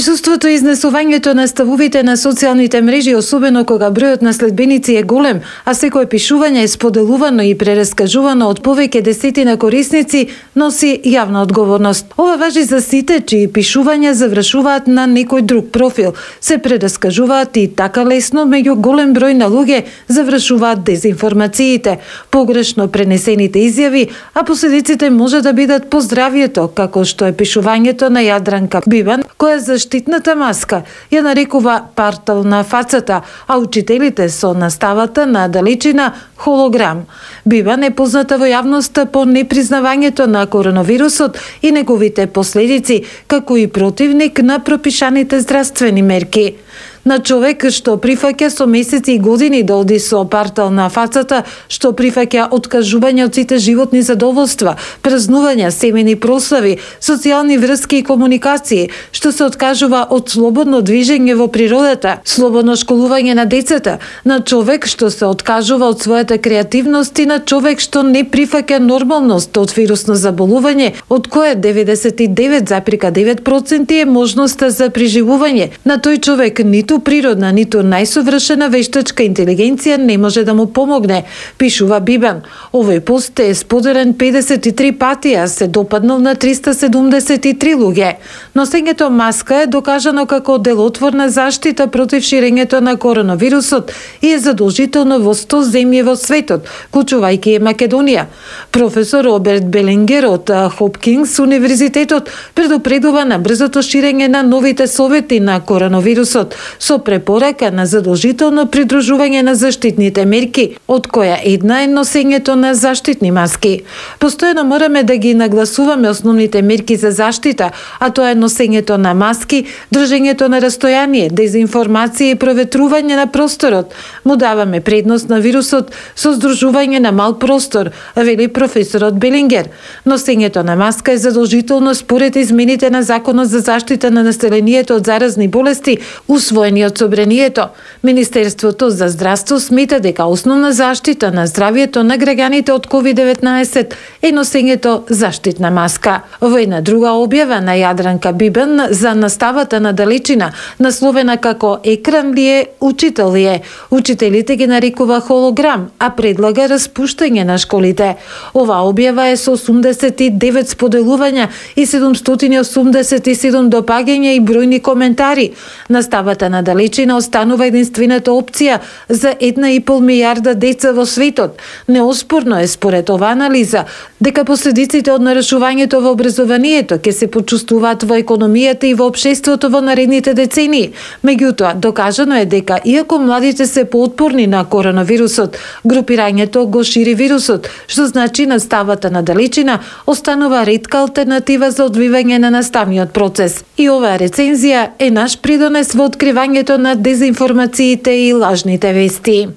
Присуството и изнесувањето на ставовите на социјалните мрежи, особено кога бројот на следбеници е голем, а секое пишување е споделувано и прераскажувано од повеќе десетина корисници, носи јавна одговорност. Ова важи за сите чии пишувања завршуваат на некој друг профил, се прераскажуваат и така лесно меѓу голем број на луѓе завршуваат дезинформациите, погрешно пренесените изјави, а последиците може да бидат по здравието, како што е пишувањето на Јадранка Бибан, која заштитната маска ја нарекува партал на фацата, а учителите со наставата на далечина холограм. Бибан е позната во јавноста по непризнавањето на коронавирусот и неговите последици, како и противник на пропишаните здравствени мерки. На човек што прифаќа со месеци и години да оди со партал на фацата, што прифаќа откажување од сите животни задоволства, празнувања, семени прослави, социјални врски и комуникации, што се откажува од слободно движење во природата, слободно школување на децата, на човек што се откажува од својата креативност и на човек што не прифаќа нормалност од вирусно заболување, од кое 99,9% е можноста за преживување. На тој човек ниту природна, ниту најсовршена вештачка интелигенција не може да му помогне, пишува Бибан. Овој пост е споделен 53 пати, а се допаднал на 373 луѓе. Носењето маска е докажано како делотворна заштита против ширењето на коронавирусот и е задолжително во 100 земји во светот, вклучувајќи и Македонија. Професор Роберт Белингер од Хопкинс универзитетот предупредува на брзото ширење на новите совети на коронавирусот, со препорака на задолжително придружување на заштитните мерки, од која една е носењето на заштитни маски. Постојано мораме да ги нагласуваме основните мерки за заштита, а тоа е носењето на маски, држењето на растојание, дезинформација и проветрување на просторот. Му даваме предност на вирусот со здружување на мал простор, вели професорот Белингер. Носењето на маска е задолжително според измените на Законот за заштита на населението од заразни болести, усвоени од Собранието. Министерството за здравство смета дека основна заштита на здравието на граѓаните од COVID-19 е носењето заштитна маска. Во една друга објава на Јадранка Бибан за наставата на далечина, насловена како екран ли е, учител ли е, учителите ги нарекува холограм, а предлага распуштање на школите. Ова објава е со 89 споделувања и 787 допаѓања и бројни коментари. Наставата на далечина останува единствената опција за 1,5 милијарда деца во светот. Неоспорно е според ова анализа дека последиците од нарушувањето во образованието ќе се почувствуваат во економијата и во општеството во наредните децении. Меѓутоа, докажано е дека иако младите се поотпорни на коронавирусот, групирањето го шири вирусот, што значи наставата на далечина останува ретка алтернатива за одвивање на наставниот процес. И оваа рецензија е наш придонес во откривањето на дезинформациите и лажните вести.